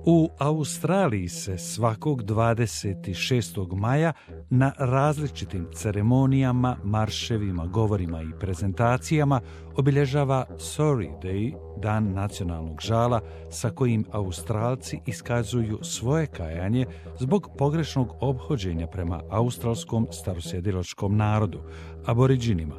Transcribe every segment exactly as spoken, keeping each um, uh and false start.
U Australiji se svakog dvadeset šestog maja na različitim ceremonijama, marševima, govorima i prezentacijama obilježava Sorry Day, dan nacionalnog žala, sa kojim Australci iskazuju svoje kajanje zbog pogrešnog ophođenja prema australskom starosjedilačkom narodu, aboriđinima.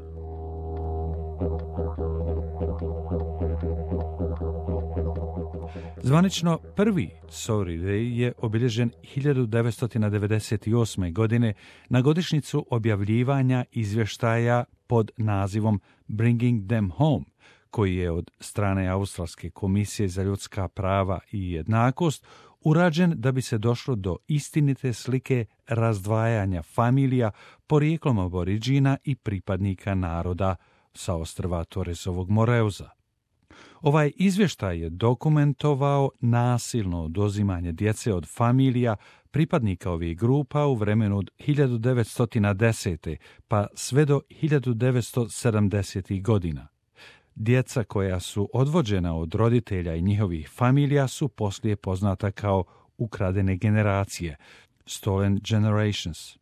Zvanično prvi Sorry Day je obilježen hiljadu devetsto devedeset osme. godine na godišnjicu objavljivanja izvještaja pod nazivom Bringing Them Home, koji je od strane Australske komisije za ljudska prava i jednakost urađen da bi se došlo do istinite slike razdvajanja familija porijeklom aboriđina i pripadnika naroda sa ostrva Torresovog Moreuza. Ovaj izvještaj je dokumentovao nasilno oduzimanje djece od familija pripadnika ovih grupa u vremenu od hiljadu devetsto desete. pa sve do hiljadu devetsto sedamdesetih. godina. Djeca koja su odvođena od roditelja i njihovih familija su poslije poznata kao ukradene generacije, stolen generations.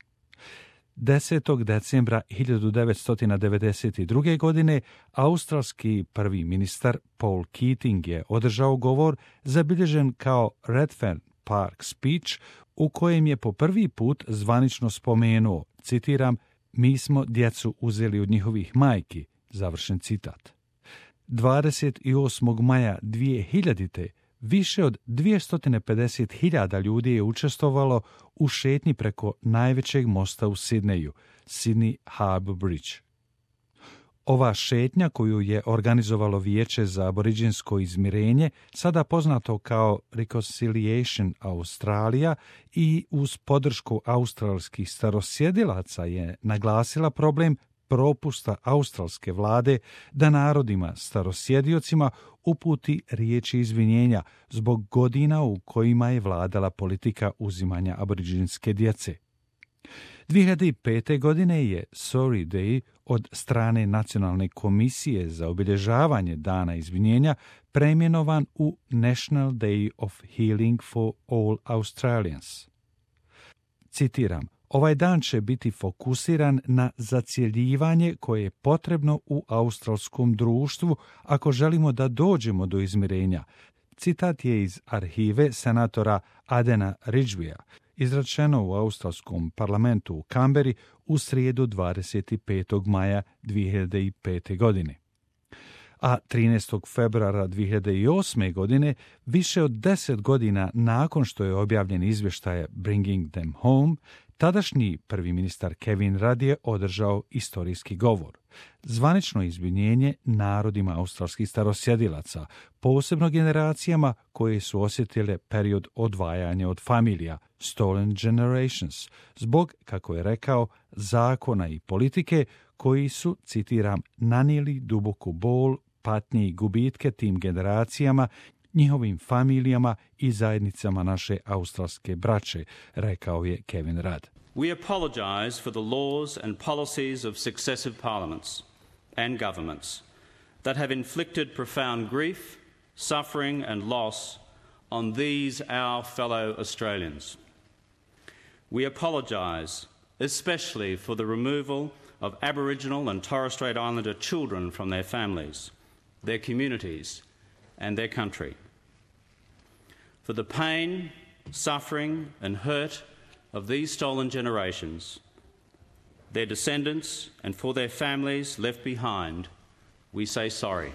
desetog decembra hiljadu devetsto devedeset druge. godine australski prvi ministar Paul Keating je održao govor zabilježen kao Redfern Park Speech, u kojem je po prvi put zvanično spomenuo, citiram, mi smo djecu uzeli od njihovih majki, završen citat. dvadeset osmog maja dvije hiljadite. više od dvjesto pedeset hiljada ljudi je učestvovalo u šetnji preko najvećeg mosta u Sidneju, Sydney Harbour Bridge. Ova šetnja, koju je organizovalo Vijeće za aboriđinsko izmirenje, sada poznato kao Reconciliation Australia, i uz podršku australskih starosjedilaca je naglasila problem propusta australske vlade da narodima starosjediocima uputi riječi izvinjenja zbog godina u kojima je vladala politika uzimanja aboriđinske djece. dvije hiljade pete. godine je Sorry Day od strane Nacionalne komisije za obilježavanje dana izvinjenja preimenovan u National Day of Healing for All Australians. Citiram, ovaj dan će biti fokusiran na zacjeljivanje koje je potrebno u australskom društvu ako želimo da dođemo do izmirenja. Citat je iz arhive senatora Adena Ridgwaya, izrečeno u australskom parlamentu u Kamberi u srijedu dvadeset petog maja dvije hiljade pete. godine. A trinaestog februara dvije hiljade osme. godine, više od deset godina nakon što je objavljen izvještaj Bringing Them Home, tadašnji prvi ministar Kevin Rudd je održao istorijski govor. Zvanično izvinjenje narodima australskih starosjedilaca, posebno generacijama koje su osjetile period odvajanja od familija, stolen generations, zbog, kako je rekao, zakona i politike koji su, citiram, nanijeli duboku bol, patnje i gubitke tim generacijama, njihovim familijama i zajednicama naše australske braće, rekao je Kevin Rudd. We apologise for the laws and policies of successive parliaments and governments that have inflicted profound grief, suffering and loss on these our fellow Australians. We apologise especially for the removal of Aboriginal and Torres Strait Islander children from their families, their communities and their country. For the pain, suffering and hurt of these stolen generations, their descendants and for their families left behind, we say sorry.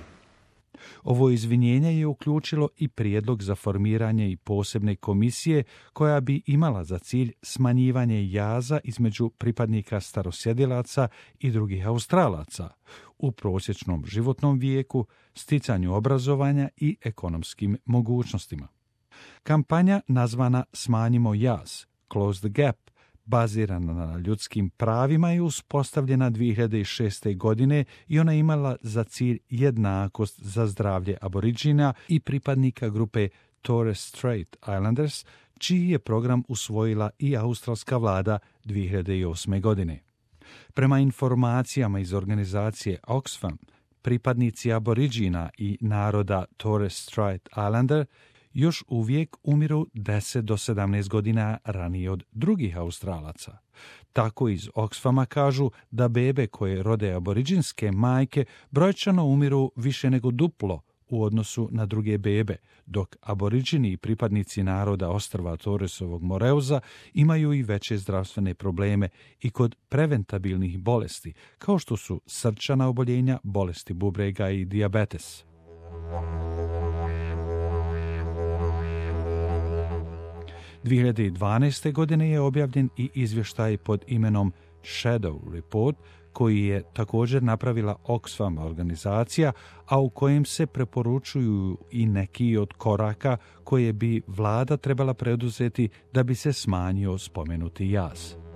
Ovo izvinjenje je uključilo i prijedlog za formiranje i posebne komisije koja bi imala za cilj smanjivanje jaza između pripadnika starosjedilaca i drugih Australaca u prosječnom životnom vijeku, sticanju obrazovanja i ekonomskim mogućnostima. Kampanja nazvana Smanjimo jaz, Close the Gap, bazirana na ljudskim pravima, je uspostavljena dvije hiljade šeste. godine i ona imala za cilj jednakost za zdravlje aboriđina i pripadnika grupe Torres Strait Islanders, čiji je program usvojila i australska vlada dvije hiljade osme. godine. Prema informacijama iz organizacije Oxfam, pripadnici aboriđina i naroda Torres Strait Islander još uvijek umiru deset do sedamnaest godina ranije od drugih Australaca. Tako iz Oxfama kažu da bebe koje rode aboriđinske majke brojčano umiru više nego duplo u odnosu na druge bebe, dok aboriđini i pripadnici naroda ostrva Torresovog Moreuza imaju i veće zdravstvene probleme i kod preventabilnih bolesti, kao što su srčana oboljenja, bolesti bubrega i dijabetes. dvije hiljade dvanaeste. godine je objavljen i izvještaj pod imenom Shadow Report, koji je također napravila Oxfam organizacija, a u kojem se preporučuju i neki od koraka koje bi vlada trebala preduzeti da bi se smanjio spomenuti jaz.